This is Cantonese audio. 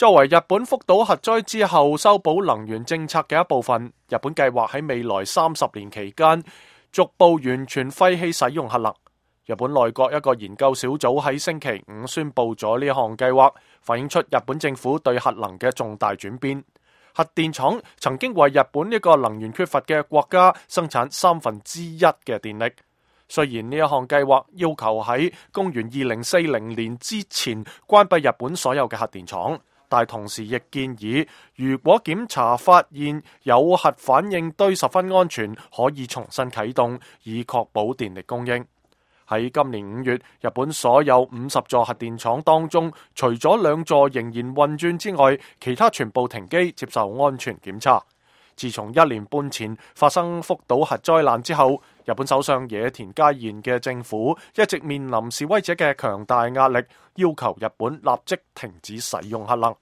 作為日本福島核災之後修補能源政策嘅一部分，日本計劃喺未來30年期間逐步完全廢棄使用核能。日本內閣一個研究小組喺星期五宣布咗呢項計劃，反映出日本政府對核能嘅重大轉變。核電廠曾經為日本一個能源缺乏嘅國家生產1/3嘅電力。雖然呢一項計劃要求喺公元2040年之前關閉日本所有嘅核電廠，但同時亦建議，如果檢查發現有核反應堆十分安全，可以重新啟動，以確保電力供應。喺今年5月，日本所有50座核電廠當中，除咗2座仍然運轉之外，其他全部停機接受安全檢查。自從1年半前發生福島核災難之後，日本首相野田佳彥嘅政府一直面臨示威者嘅強大壓力，要求日本立即停止使用核能。